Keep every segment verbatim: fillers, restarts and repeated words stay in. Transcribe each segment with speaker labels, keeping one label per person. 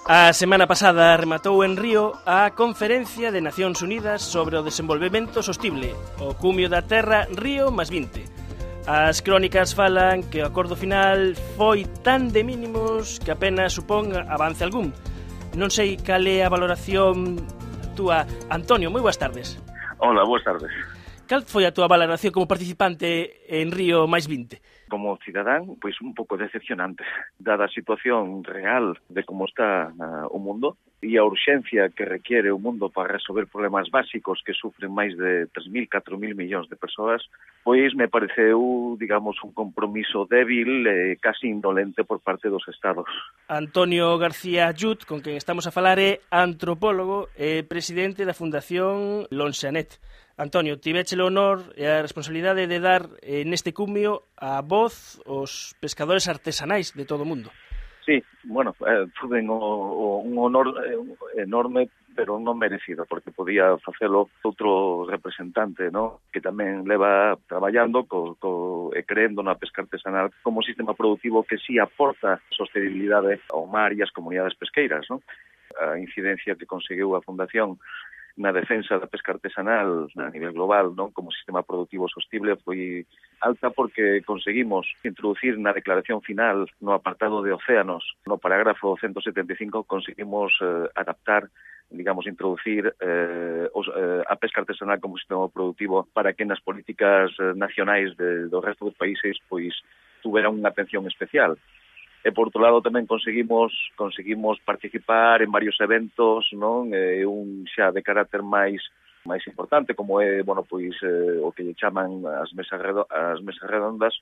Speaker 1: A semana pasada rematou en Río a Conferencia de Nacións Unidas sobre o Desenvolvemento Sostible, o cumio da Terra Río máis vinte. As crónicas falan que o acordo final foi tan de mínimos que apenas supón avance algún. Non sei cal é a valoración túa. Antonio, moi boas tardes.
Speaker 2: Hola, boas tardes.
Speaker 1: Cal foi a túa valoración como participante en Río máis vinte?
Speaker 2: Como cidadán, pois un pouco decepcionante, dada a situación real de como está uh, o mundo e a urxencia que requiere o mundo para resolver problemas básicos que sufren máis de tres mil, catro mil millóns de persoas, pois me pareceu, digamos, un compromiso débil e casi indolente por parte dos Estados.
Speaker 1: Antonio García Yut, con quen estamos a falar, é antropólogo e presidente da Fundación Lonxanet. Antonio, tiveche o honor e a responsabilidade de dar eh, neste cumio a voz aos pescadores artesanais de todo o mundo.
Speaker 2: Sí, bueno, eh, tuven o, o, un honor eh, enorme, pero non merecido, porque podía facelo outro representante, ¿no?, que tamén leva traballando co, co, e creendo na pesca artesanal como sistema productivo que sí aporta sostenibilidade ao mar e ás comunidades pesqueiras, ¿no? A incidencia que conseguiu a Fundación na defensa da pesca artesanal a nivel global, non, como sistema productivo sostible foi alta porque conseguimos introducir na declaración final no apartado de océanos, no parágrafo ciento setenta e cinco, conseguimos eh, adaptar, digamos, introducir eh, os, eh, a pesca artesanal como sistema productivo para que nas políticas eh, nacionais de, do resto dos países pois tuveran unha atención especial. E, por outro lado, tamén conseguimos conseguimos participar en varios eventos, non? Eh, un xa de carácter máis máis importante, como é, bueno, pois eh, o que lle chaman as mesas redo, as mesas redondas,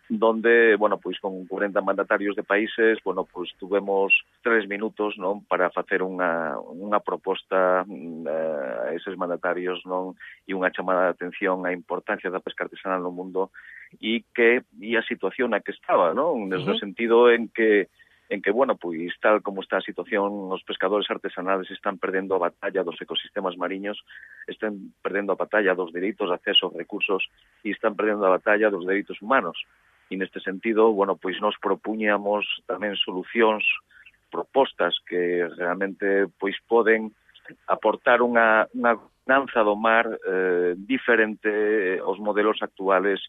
Speaker 2: donde, bueno, pois con cuarenta mandatarios de países, bueno, pois tuvemos tres minutos, non, para facer unha unha proposta eh, a eses mandatarios, non, e unha chamada de atención á importancia da pesca artesanal no mundo e que e a situación na que estaba, non, desde uh-huh. o sentido en que en que, bueno, pois tal como está a situación, os pescadores artesanales están perdendo a batalla dos ecosistemas mariños, están perdendo a batalla dos dereitos de acceso aos recursos e están perdendo a batalla dos dereitos humanos. E neste sentido, bueno, pois nos propuñamos tamén solucións, propostas que realmente pois poden aportar unha, unha gobernanza do mar eh, diferente aos modelos actuales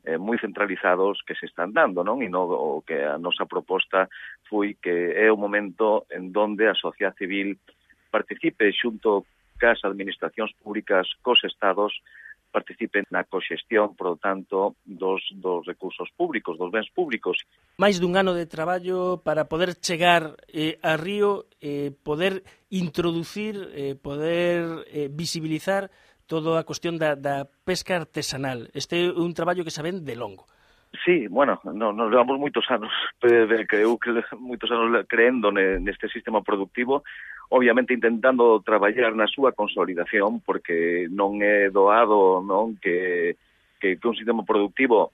Speaker 2: eh, moi centralizados que se están dando, non? E no, o que a nosa proposta foi que é o momento en donde a sociedade civil participe xunto cas administracións públicas, cos estados, participen na coxestión, por lo tanto, dos, dos recursos públicos, dos bens públicos.
Speaker 1: Máis dun ano de traballo para poder chegar eh, a Río, eh, poder introducir, eh, poder eh, visibilizar toda a cuestión da, da pesca artesanal. Este é un traballo que saben de longo.
Speaker 2: Sí, bueno, no, nos levamos moitos anos, eh, creo que moitos anos creendo neste sistema productivo, obviamente intentando traballar na súa consolidación, porque non é doado, non, que, que, que un sistema productivo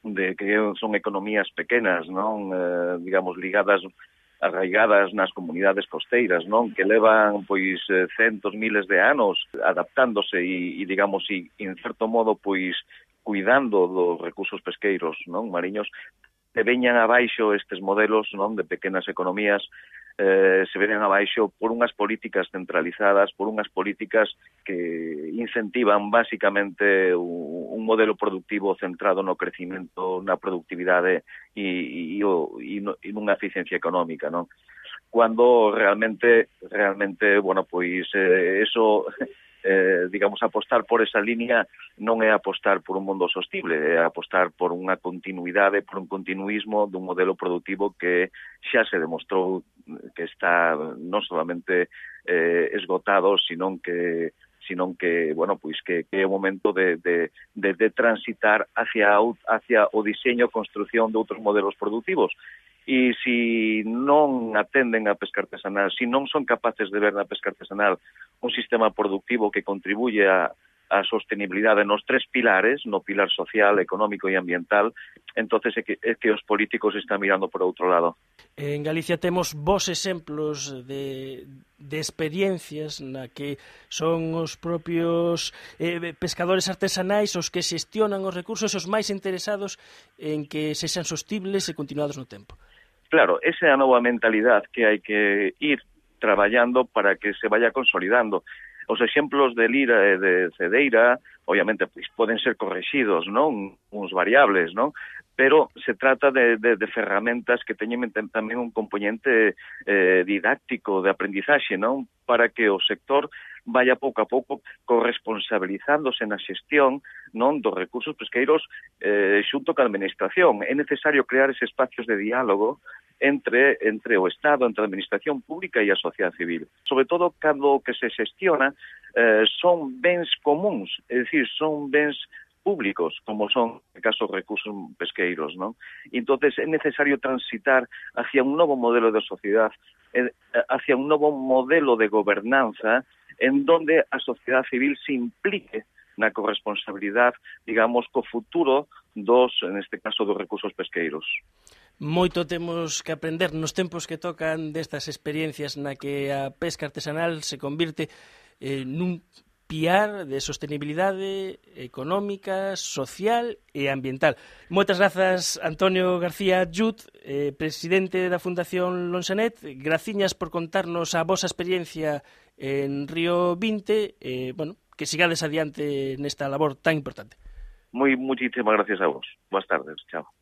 Speaker 2: de que son economías pequenas, non, eh, digamos, ligadas arraigadas nas comunidades costeiras, non, que levan pois centos, miles de anos adaptándose e, e digamos, e en certo modo pois cuidando dos recursos pesqueiros, non, mariños, se veñan abaixo estes modelos, non, de pequenas economías, eh, se veñan abaixo por unhas políticas centralizadas, por unhas políticas que incentivan basicamente un, un modelo productivo centrado no crecimento, na productividade e, e, e, e nunha eficiencia económica, non? Cuando realmente, realmente, bueno, pois eh, eso... Eh, digamos, apostar por esa línea non é apostar por un mundo sostible, é apostar por unha continuidade, por un continuismo dun modelo productivo que xa se demostrou que está non solamente eh, esgotado, sino que sino que, bueno, pois que, que é o momento de, de, de, de transitar hacia, hacia o diseño e construción de outros modelos productivos. E se non atenden a pesca artesanal, se non son capaces de ver na pesca artesanal un sistema productivo que contribuye a, a sostenibilidade nos tres pilares, no pilar social, económico e ambiental, entonces é que, é que os políticos están mirando por outro lado.
Speaker 1: En Galicia temos vos exemplos de, de experiencias na que son os propios eh, pescadores artesanais os que xestionan os recursos, os máis interesados en que sexan sostibles e continuados no tempo.
Speaker 2: Claro, esa é a nova mentalidade que hai que ir traballando para que se vaya consolidando. Os exemplos de Lira e de Cedeira, obviamente, pois, poden ser correxidos, non? Uns variables, non? Pero se trata de, de, de ferramentas que teñen tamén un componente eh, didáctico de aprendizaxe, non? Para que o sector vaya pouco a pouco corresponsabilizándose na xestión, non, dos recursos pesqueiros eh, xunto ca administración. É necesario crear ese espacios de diálogo entre entre o Estado, entre a administración pública e a sociedade civil. Sobre todo, cando o que se xestiona eh, son bens comuns, é dicir, son bens públicos, como son, en caso, recursos pesqueiros, non? E entonces é necesario transitar hacia un novo modelo de sociedade, eh, hacia un novo modelo de gobernanza en donde a sociedade civil se implique na corresponsabilidade, digamos, co futuro dos, en este caso, dos recursos pesqueiros.
Speaker 1: Moito temos que aprender nos tempos que tocan destas experiencias na que a pesca artesanal se convirte eh, nun piar de sostenibilidade económica, social e ambiental. Moitas grazas, Antonio García Jut, eh, presidente da Fundación Lonxanet. Graciñas por contarnos a vosa experiencia en Río vinte. Eh, bueno, que sigades adiante nesta labor tan importante.
Speaker 2: Moi, muchísimas gracias a vos. Boas tardes. Chao.